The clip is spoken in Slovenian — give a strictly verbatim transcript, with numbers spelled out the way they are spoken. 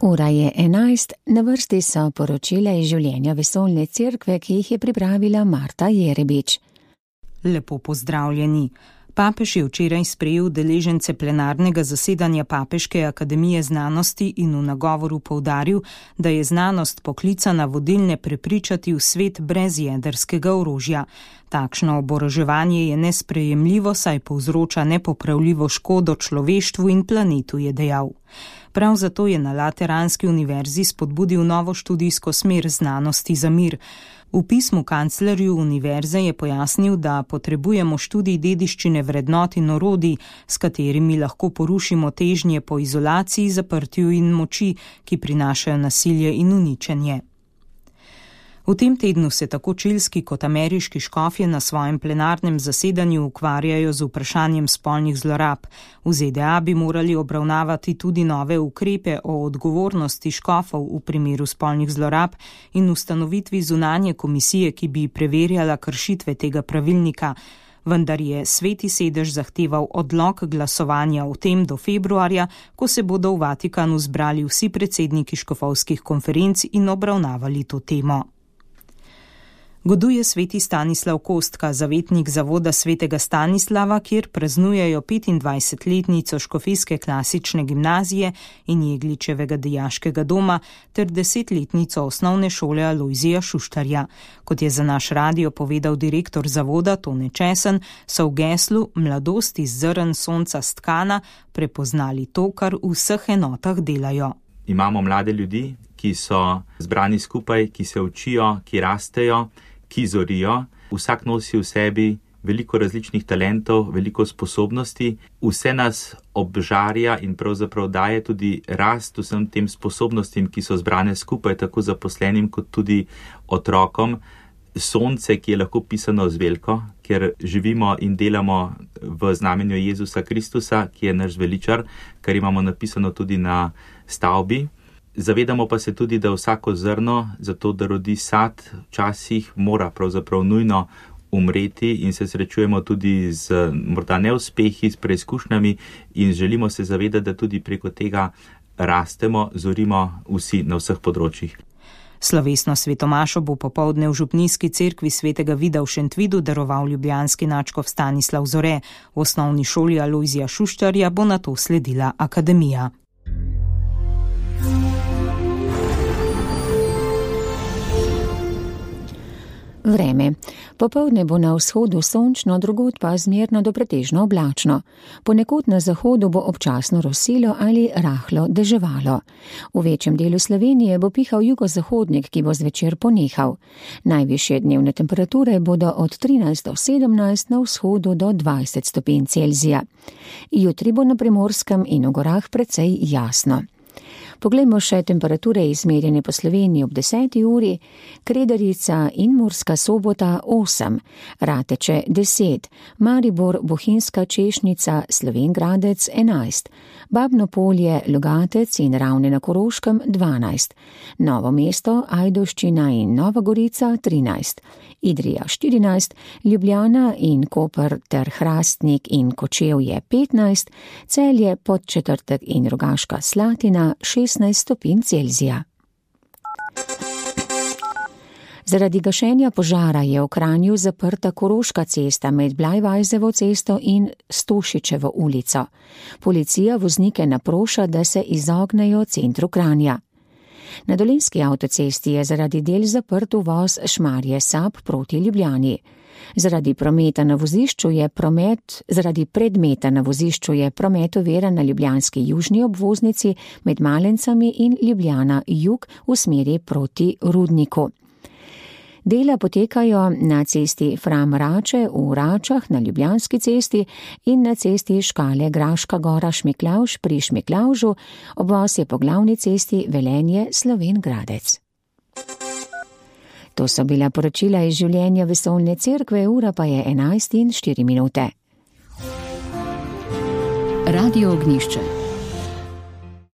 Ura je enajst, na vrsti so poročila iz življenja Vesoljne cerkve, ki jih je pripravila Marta Jerebič. Lepo pozdravljeni. Papež je včeraj sprejel udeležence plenarnega zasedanja Papeške akademije znanosti in v nagovoru poudaril, da je znanost poklicana vodilne prepričati v svet brez jedrskega orožja. Takšno oboroževanje je nesprejemljivo, saj povzroča nepopravljivo škodo človeštvu in planetu, je dejal. Prav zato je na Lateranski univerzi spodbudil novo študijsko smer znanosti za mir. V pismu kanclerju univerze je pojasnil, da potrebujemo študij dediščine vrednot in orodij, s katerimi lahko porušimo težnje po izolaciji, zaprtju in moči, ki prinašajo nasilje in uničenje. V tem tednu se tako čilski kot ameriški škofje na svojem plenarnem zasedanju ukvarjajo z vprašanjem spolnih zlorab. V Z D A bi morali obravnavati tudi nove ukrepe o odgovornosti škofov v primeru spolnih zlorab in ustanovitvi zunanje komisije, ki bi preverjala kršitve tega pravilnika. Vendar je Sveti sedež zahteval odlog glasovanja o tem do februarja, ko se bodo v Vatikanu zbrali vsi predsedniki škofovskih konferenc in obravnavali to temo. Goduje sveti Stanislav Kostka, zavetnik zavoda svetega Stanislava, kjer praznujejo petindvajsetletnico škofijske klasične gimnazije in Jegličevega dijaškega doma ter desetletnico osnovne šole Alojzija Šuštarja. Kot je za naš radio povedal direktor zavoda Tone Česen, so v geslu Mladost iz zrn sonca stkana prepoznali to, kar v vseh enotah delajo. Imamo mlade ljudi, ki so zbrani skupaj, ki se učijo, ki rastejo, ki zorijo. Vsak nosi v sebi veliko različnih talentov, veliko sposobnosti. Vse nas obžarja in pravzaprav daje tudi rast vsem tem sposobnostim, ki so zbrane skupaj, tako zaposlenim kot tudi otrokom. Sonce, ki je lahko pisano z veliko, ker živimo in delamo v znamenju Jezusa Kristusa, ki je naš veličar, kar imamo napisano tudi na stavbi. Zavedamo pa se tudi, da vsako zrno, zato da rodi sad, včasih mora pravzaprav nujno umreti in se srečujemo tudi z morda neuspehi, s preizkušnjami in želimo se zavedati, da tudi preko tega rastemo, zorimo vsi na vseh področjih. Slovesno svetomašo bo popoldne v župnijski cerkvi svetega Vida v Šentvidu daroval ljubljanski nadškof Stanislav Zore. V osnovni šoli Alojzija Šuštarja bo nato sledila akademija. Vreme. Popoldne bo na vzhodu sončno, drugod pa zmerno do pretežno oblačno. Ponekod na zahodu bo občasno rosilo ali rahlo deževalo. V večjem delu Slovenije bo pihal jugozahodnik, ki bo zvečer ponehal. Najvišje dnevne temperature bodo od trinajst do sedemnajst, na vzhodu do dvajset stopinj Celzija. Jutri bo na Primorskem in v gorah precej jasno. Poglejmo še temperature izmerjene po Sloveniji ob deseti uri. Kredarica in Murska Sobota osem, Rateče deset, Maribor, Bohinjska Češnica, Slovenj Gradec enajst, Babno Polje, Logatec in Ravne na Koroškem dvanajst, Novo mesto, Ajdovščina in Nova Gorica trinajst, Idrija štirinajst, Ljubljana in Koper ter Hrastnik in Kočevje petnajst, Celje, Podčetrtek in Rogaška Slatina šestnajst stopinj Celzija. Zaradi gašenja požara je v Kranju zaprta Koroška cesta med Blajvajzevo cesto in Stošičevo ulico. Policija voznike naproša, da se izognejo centru Kranja. Na Dolenjski avtocesti je zaradi del zaprt uvoz Šmarje Sab proti Ljubljani. Zaradi prometa na vozišču je promet, zaradi predmeta na vozišču je promet oviran na ljubljanski južni obvoznici med Malencami in Ljubljana jug v smeri proti Rudniku. Dela potekajo na cesti Fram Rače v Račah na Ljubljanski cesti in na cesti Škale Graška Gora Šmiklavž pri Šmiklavžu, obvoz je po glavni cesti Velenje Slovenj Gradec. To so bila poročila iz življenja Vesoljne cerkve, ura pa je enajst in štiri minute. Radio Ognjišče.